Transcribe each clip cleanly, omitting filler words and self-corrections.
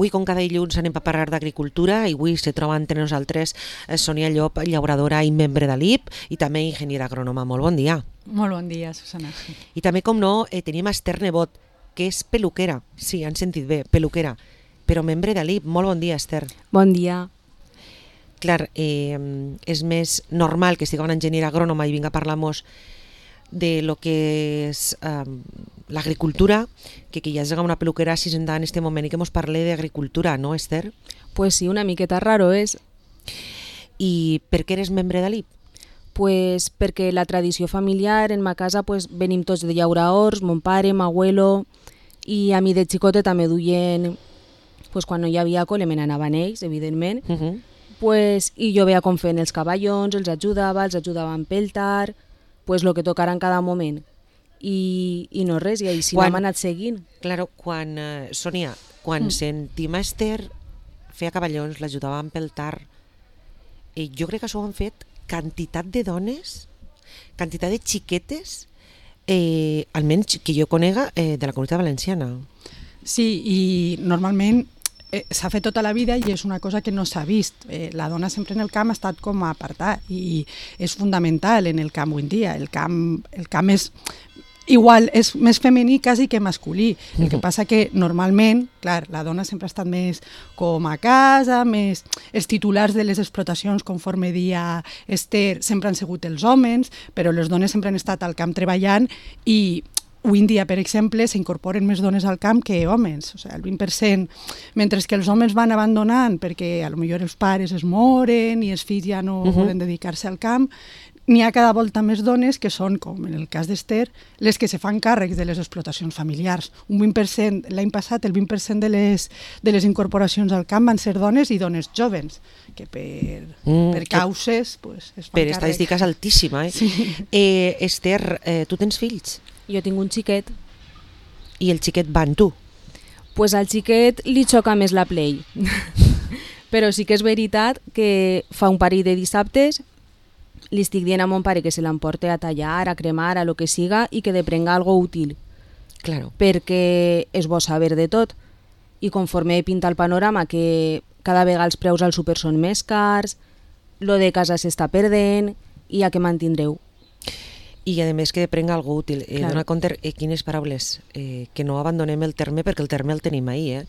Avui, com cada dilluns, anem a parlar d'agricultura i avui se troba entre nosaltres Sònia Llop, llauradora i membre de l'IP i també enginyera agrònoma. Molt bon dia. Molt bon dia, Susana. I també, com no, tenim Esther Nebot, que és peluquera. Sí, han sentit bé, peluquera, però membre de l'IP. Molt bon dia, Esther. Bon dia. Clar, és més normal que estigui una enginyera agrònoma i vinga a parlar-nos de lo que és l'agricultura, que hi hagi una peluquera així en este moment i que ens parli d'agricultura, no, Esther? Pues sí, una miqueta raro és. I per què eres membre de l'IP? Pues perquè la tradició familiar en ma casa pues, venim tots de llauraors, mon pare, m'abuelo, i a mi de xicota també duien, pues, quan no hi havia cole me n'anaven ells, evidentment, pues, i jo veia com feien els cavallons, els ajudava a empeltar, pues, lo que tocara en cada moment. I no res, i així m'hem anat seguint. Claro, Sònia, quan sentim a Esther feia cavallons, l'ajudava a empeltar, jo crec que això ho han fet quantitat de dones, quantitat de xiquetes, almenys que jo conega, de la Comunitat Valenciana. Sí, i normalment s'ha fet tota la vida i és una cosa que no s'ha vist. La dona sempre en el camp ha estat com a apartar i és fundamental en el camp avui en dia. El camp és igual, és més femení quasi que masculí. El que passa que normalment, clar, la dona sempre ha estat més com a casa, més els titulars de les explotacions, conforme dia Esther, sempre han sigut els homes, però les dones sempre han estat al camp treballant i avui en dia, per exemple, s'incorporen més dones al camp que homes, o sigui, el 20%, mentre que els homes van abandonant perquè potser els pares es moren i els fills ja no volen dedicar-se al camp, n'hi ha cada volta més dones que són, com en el cas d'Esther, les que se fan càrrecs de les explotacions familiars. Un 20%, l'any passat, el 20% de les incorporacions al camp van ser dones i dones jovens, que per causes es fan per càrrec. estadística és altíssima, eh? Sí. Esther, tu tens fills? Jo tinc un xiquet. I el xiquet va amb tu? Pues al xiquet li xoca més la play. Però sí que és veritat que fa un parell de dissabtes li estic dient a mon pare que se l'emporte a tallar, a cremar, a lo que siga i que deprenga algo útil. Claro. Perquè és bo saber de tot. I conforme pinta el panorama que cada vegada els preus al súper són més cars, lo de casa s'està perdent i a què mantindreu. I a més que deprenga algo útil. Dona compte quines paraules, que no abandonem el terme perquè el terme el tenim ahir.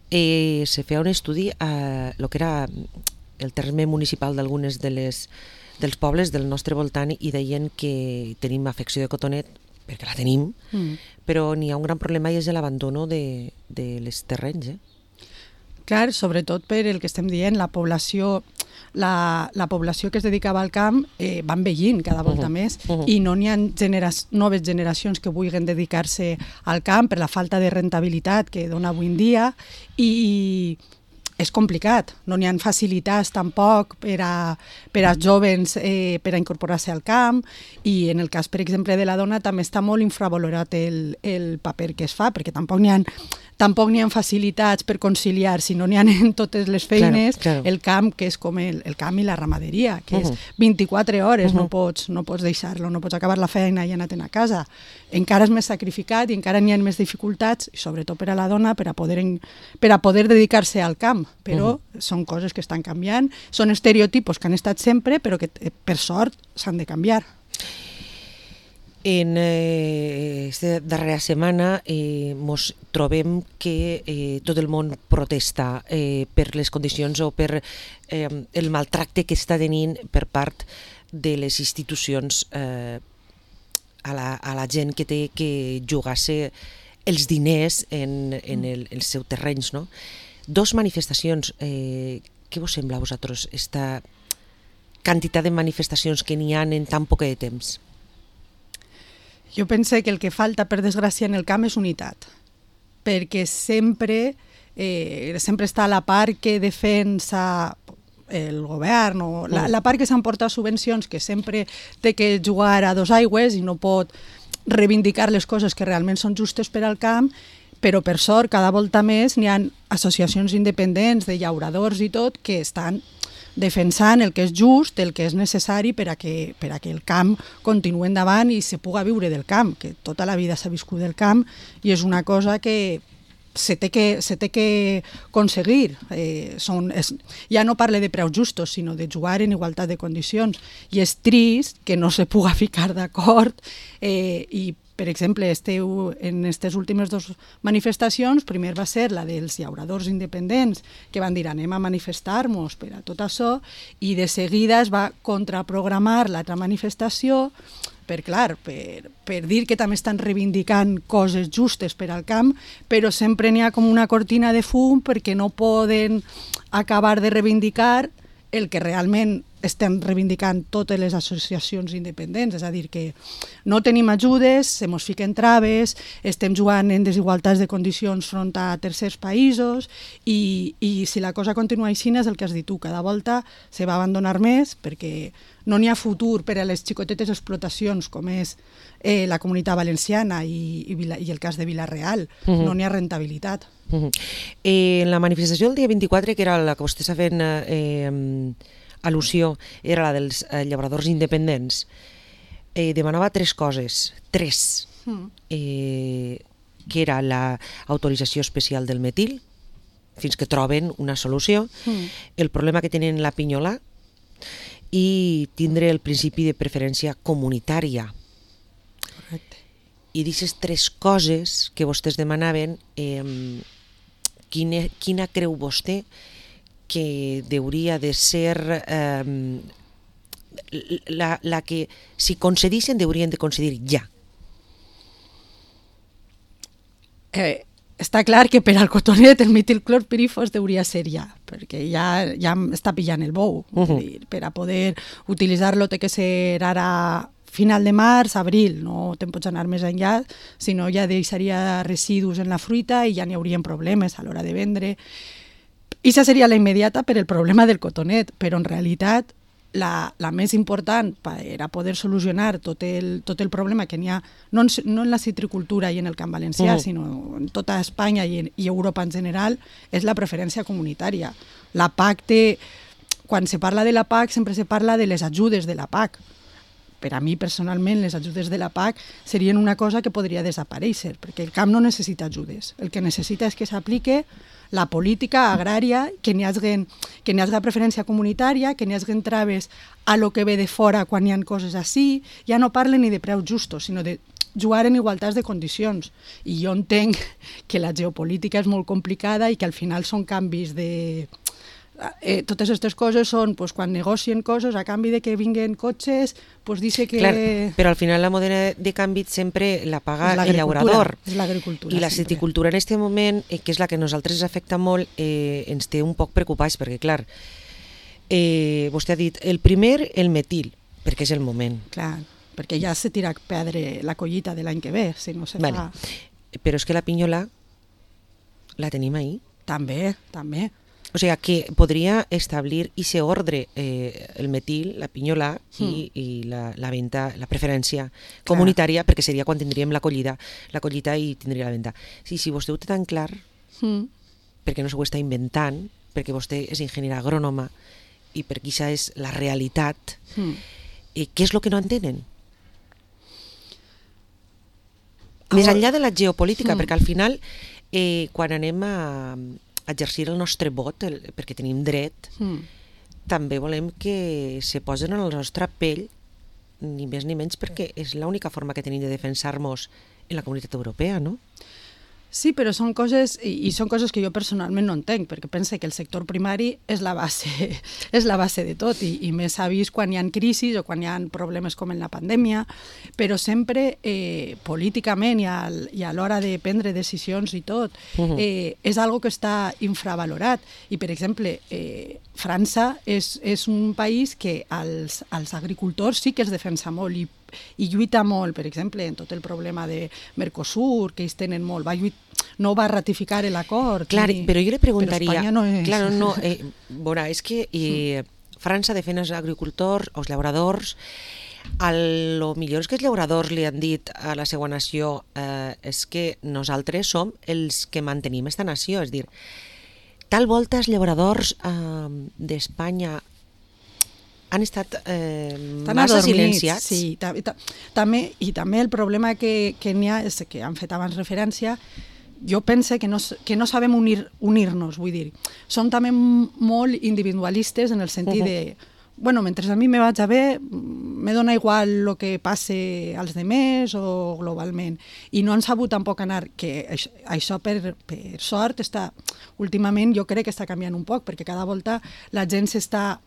Se feia un estudi a lo que era el terme municipal d'algunes dels pobles del nostre voltant i deien que tenim afecció de cotonet, perquè la tenim, però n'hi ha un gran problema i és l'abandono de les terrenys. Clar, sobretot per el que estem dient, la població que es dedicava al camp va envellint cada volta més i no n'hi ha noves generacions que vulguin dedicar-se al camp per la falta de rentabilitat que dona avui en dia i és complicat, no n'hi ha facilitats tampoc per als jovens per a incorporar-se al camp i en el cas, per exemple, de la dona també està molt infravalorat el paper que es fa, perquè tampoc n'hi ha facilitats per conciliar, si no n'hi ha en totes les feines, claro. El camp, que és com el camp i la ramaderia, que és 24 hores, no pots deixar-lo, no pots acabar la feina i anar-te'n a casa. Encara és més sacrificat i encara n'hi ha més dificultats, i sobretot per a la dona, per a poder dedicar-se al camp, però són coses que estan canviant, són estereotipos que han estat sempre, però que per sort s'han de canviar. En aquesta darrera setmana ens trobem que tot el món protesta per les condicions o per el maltracte que està tenint per part de les institucions a la gent que té que jugar-se els diners en els seus terrenys, no? Dos manifestacions. Què vos sembla a vosaltres esta quantitat de manifestacions que n'hi ha en tan poc de temps? Jo penso que el que falta, per desgràcia, en el camp és unitat, perquè sempre està la part que defensa el govern o la part que s'emporta subvencions, que sempre té que jugar a dos aigües i no pot reivindicar les coses que realment són justes per al camp, però per sort cada volta més n'hi ha associacions independents de llauradors i tot que estan defensant el que és just, el que és necessari per a que el camp continuï endavant i se puga viure del camp, que tota la vida s'ha viscut del camp i és una cosa que se té que aconseguir. Ja no parle de preus justos, sinó de jugar en igualtat de condicions. I és trist que no se puga ficar d'acord i, per exemple, en aquestes últimes dues manifestacions, primer va ser la dels llauradors independents, que van dir anem a manifestar-nos per a tot això, i de seguida es va contraprogramar l'altra manifestació per dir que també estan reivindicant coses justes per al camp, però sempre n'hi ha com una cortina de fum perquè no poden acabar de reivindicar el que realment estem reivindicant totes les associacions independents, és a dir, que no tenim ajudes, se mos fiquen traves, estem jugant en desigualtats de condicions front a tercers països i si la cosa continua així és el que has dit tu, cada volta se va abandonar més perquè no n'hi ha futur per a les xicotetes explotacions com és la Comunitat Valenciana i el cas de Vila-real, no n'hi ha rentabilitat. En la manifestació del dia 24, que era la que vostè està fent al·lusió, era la dels llauradors independents, demanava tres coses, que era l'autorització especial del metil, fins que troben una solució, el problema que tenen la pinyolà i tindre el principi de preferència comunitària. Correcte. I d'aquestes tres coses que vostès demanaven, quina creu vostè que hauria de ser la que, si concedissin, haurien de concedir ja? Està clar que per al cotonet el metilclorpirifos hauria ser ja, perquè ja està pillant el bou. Per a poder utilitzar-lo té que ser ara final de març, abril, no te'n pots anar més enllà, sinó ja deixaria residus en la fruita i ja n'hi haurien problemes a l'hora de vendre. I això seria la immediata per el problema del cotonet, però en realitat la més important per a poder solucionar tot el problema que n'hi ha, no en la citricultura i en el camp valencià, sinó en tota Espanya i Europa en general, és la preferència comunitària. La PAC quan se parla de la PAC sempre se parla de les ajudes de la PAC. Per a mi, personalment, les ajudes de la PAC serien una cosa que podria desaparèixer, perquè el camp no necessita ajudes. El que necessita és que s'aplique la política agrària, que n'hi hagi preferència comunitària, que n'hi hagi traves a lo que ve de fora quan hi ha coses així. Ja no parlen ni de preus justos, sinó de jugar en igualtats de condicions. I jo entenc que la geopolítica és molt complicada i que al final són canvis de... totes aquestes coses són quan negocien coses a canvi de que vinguen cotxes, dice que... Clar, però al final la moneda de canvi sempre la paga el llaurador. És l'agricultura. I la citricultura en aquest moment, que és la que a nosaltres ens afecta molt, ens té un poc preocupats, perquè clar, vostè ha dit, el primer, el metil, perquè és el moment. Clar, perquè ja se tira a perdre la collita de l'any que ve, si no se fa... Però és que la pinyolà la tenim ahí. També. O sigui, que podria establir ese ordre, el metil, la pinyolà i la venda, la preferència comunitària, perquè seria quan tindríem la collita i tindria la venda. Sí, si vostè ho té tan clar, perquè no s'ho està inventant, perquè vostè és enginyera agrònoma i perquè això és la realitat, què és el que no entenen? Més enllà de la geopolítica, perquè al final, quan anem a exercir el nostre vot, perquè tenim dret, també volem que se posen en la nostra pell, ni més ni menys, perquè és l'única forma que tenim de defensar-nos en la Comunitat Europea, no? Sí, però són coses, i són coses que jo personalment no entenc, perquè pense que el sector primari és la base de tot, i més s'ha vist quan hi ha crisis o quan hi ha problemes com en la pandèmia, però sempre políticament i a l'hora de prendre decisions i tot, és algo que està infravalorat. I, per exemple, França és un país que als agricultors sí que es defensa molt i lluita molt, per exemple, en tot el problema de Mercosur, que ells tenen molt, no va ratificar l'acord. Clar, però jo li preguntaria... Però Espanya no és... Claro, no, veurà, és que França defèn els agricultors, els llauradors, a lo millor és que els llauradors li han dit a la seva nació és que nosaltres som els que mantenim esta nació, és dir, tal volta els llauradors d'Espanya han estat massa silenciats. Sí, també el problema que n'hi ha és que han fet abans referència, jo pense que no sabem unir-nos, vull dir. Som també molt individualistes en el sentit de bueno, mentre a mi me vaig a bé, me dona igual el que passe als demés o globalment. I no han sabut tampoc anar, que això per sort està, últimament jo crec que està canviant un poc, perquè cada volta la gent s'està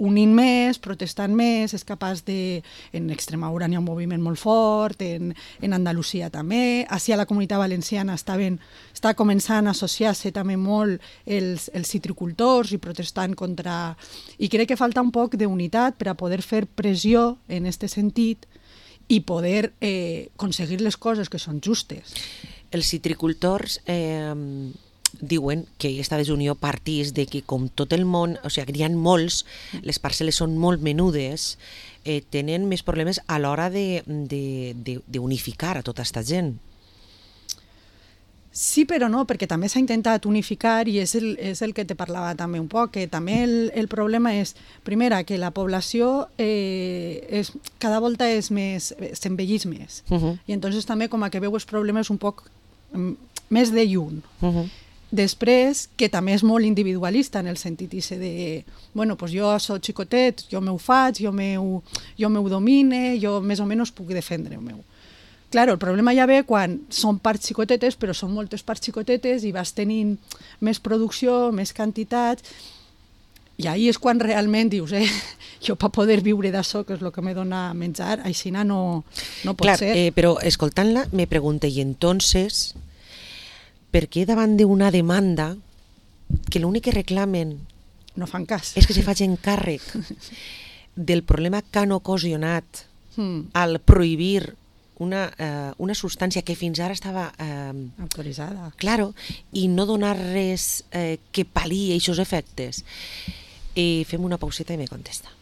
unint més, protestant més, és capaç de... En Extremadura n'hi ha un moviment molt fort, en Andalusia també, així a la Comunitat Valenciana està començant a associar-se també molt els citricultors i protestant contra... I crec que falta un poc d'unitat per a poder fer pressió en aquest sentit i poder aconseguir les coses que són justes. Els citricultors... diuen que aquesta desunió partís de que com tot el món, o sigui, n'hi ha molts, les parcel·les són molt menudes, tenen més problemes a l'hora d'unificar a tota aquesta gent. Sí, però no, perquè també s'ha intentat unificar i és el que te parlava també un poc, que també el problema és, primera, que la població cada volta s'envellís més. I entonces també com que veu els problemes un poc més de lluny. Després, que també és molt individualista en el sentit de, bueno, pues jo soc xicotet, jo m'ho faig, jo m'ho domine, jo més o menys puc defendre el meu. Claro, el problema ja ve quan són parts xicotetes, però són moltes parts xicotetes i vas tenint més producció, més quantitats, i ahí és quan realment dius, jo per poder viure d'això, que és el que me dona menjar, així no pot ser. Però escoltant-la me pregunto, i entonces... per què davant d'una demanda que l'únic que reclamen no fan cas és que se facin càrrec del problema que han ocasionat al prohibir una substància que fins ara estava autoritzada, claro, i no donar res que pal·liï aquests efectes? Fem una pauseta i me contesta.